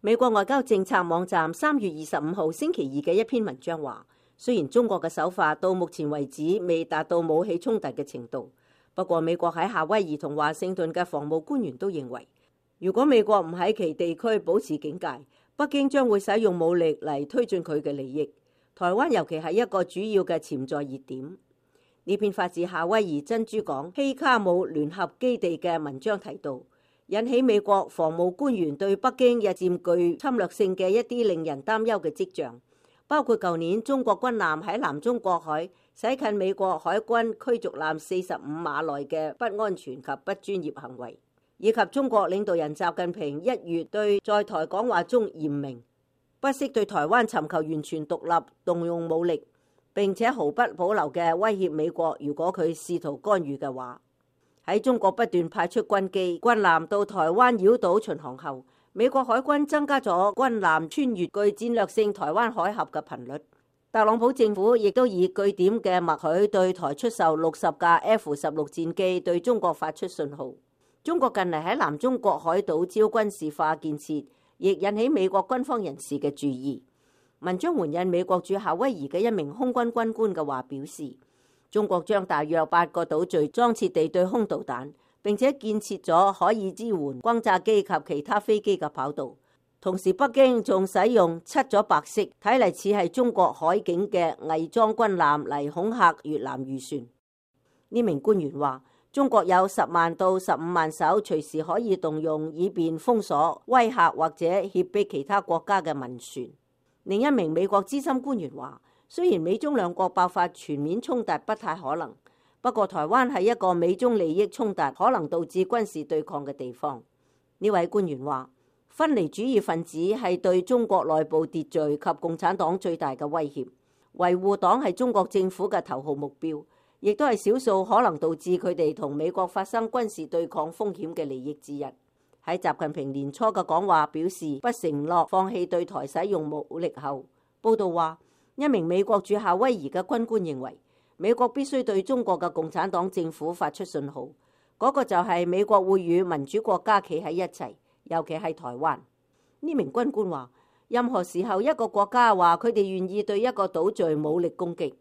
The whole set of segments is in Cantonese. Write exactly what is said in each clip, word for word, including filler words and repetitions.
美國外交政策網站三月二十五號星期二嘅一篇文章話，雖然中國嘅手法到目前為止未達到武器衝突嘅程度，不過美國喺夏威夷同華盛頓嘅防務官員都認為，如果美國唔喺其地區保持警戒，北京將會使用武力嚟推進佢嘅利益。台灣尤其係一個主要嘅潛在熱點。呢篇發自夏威夷珍珠港希卡姆聯合基地嘅文章提到，引起美國防務官員對北京日漸具侵略性嘅一啲令人擔憂嘅跡象，包括舊年中國軍艦喺南中國海駛近美國海軍驅逐艦四十五碼內嘅不安全及不專業行為，以及中國領導人習近平一月對在台講話中嚴明，不惜對台灣尋求完全獨立動用武力，並且毫不保留嘅威脅美國，如果佢試圖干預嘅話。喺中國不斷派出軍機、軍艦到台灣繞島巡航後，美國海軍增加咗軍艦穿越具戰略性台灣海峽嘅頻率。特朗普政府亦都以據點嘅默許對台出售六十架 F 十六戰機，對中國發出信號。中國近嚟喺南中國海島招軍事化建設，亦引起美國軍方人士嘅注意。文章援引美國駐夏威夷嘅一名空軍軍官嘅話表示，中國將大約八個島嶼裝設地對空導彈，並且建設咗可以支援轟炸機及其他飛機嘅跑道。同時，北京仲使用漆咗白色，睇嚟似係中國海警嘅偽裝軍艦嚟恐嚇越南漁船。呢名官員話，中國有十萬到十五萬艘隨時可以動用，以便封鎖、威嚇或者脅迫其他國家嘅民船。另一名美國資深官員話，雖然美中兩國爆發全面衝突不太可能，不過台灣係一個美中利益衝突可能導致軍事對抗嘅地方。呢位官員話，分離主義分子係對中國內部秩序及共產黨最大嘅威脅，維護黨係中國政府嘅頭號目標，亦都係少數可能導致佢哋同美國發生軍事對抗風險嘅利益之一。喺習近平年初嘅講話表示不承諾放棄對台使用武力後，報道話一名美國駐夏威夷嘅軍官認為，美國必須對中國嘅共產黨政府發出信號，嗰個就係美國會與民主國家企喺一齊，尤其係台灣。呢名軍官話，任何時候一個國家話佢哋願意對一個島嶼武力攻擊，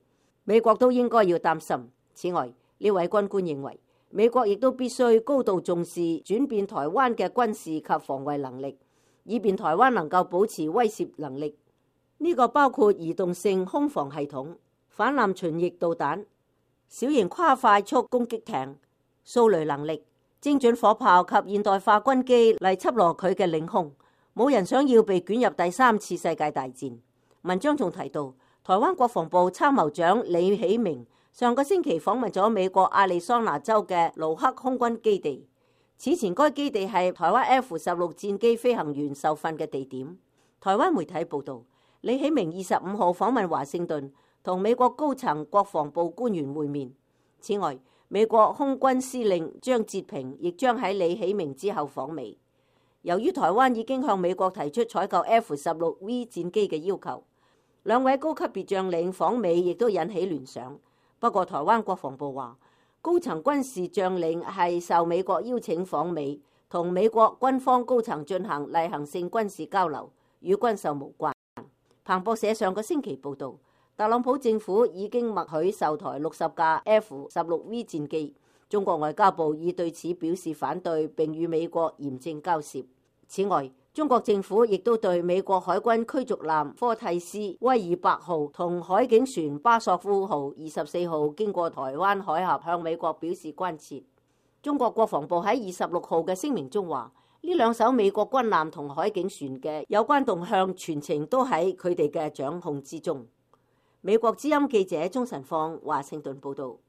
美國都應該要擔心。此外，呢位軍官認為，美國亦都必須高度重視轉變台灣嘅軍事及防衛能力，以便台灣能夠保持威懾能力。呢個包括移動性空防系統、反艦巡弋導彈、小型跨快速攻擊艇、掃雷能力、精準火炮及現代化軍機嚟緝攞佢嘅領空。冇人想要被捲入第三次世界大戰。文章仲提到，台灣國防部參謀長李喜明上個星期訪問咗美國亞利桑那州嘅盧克空軍基地。此前該基地係台灣 F 十六戰機飛行員受訓嘅地點。台灣媒體報道，李喜明二十五號訪問華盛頓，同美國高層國防部官員會面。此外，美國空軍司令張哲平亦將喺李喜明之後訪美。由於台灣已經向美國提出採購 F 十六 V 戰機嘅要求，兩位高級別將領訪美亦都引起聯想。不過台灣國防部話，高層軍事將領係受美國邀請訪美，同美國軍方高層進行例行性軍事交流，與軍售無關。彭博社上個星期報導，特朗普政府已經默許售台六十架 F 十六 V 戰機。中國外交部已對此表示反對，並與美國嚴正交涉。此外，中國政府亦都對美國海軍驅逐艦科蒂斯威爾伯號同海警船巴索夫號二十四號經過台灣海峽向美國表示關切。中國國防部喺二十六號嘅聲明中話，呢兩艘美國軍艦同海警船嘅有關動向全程都喺佢哋嘅掌控之中。美國之音記者鍾晨放華盛頓報道。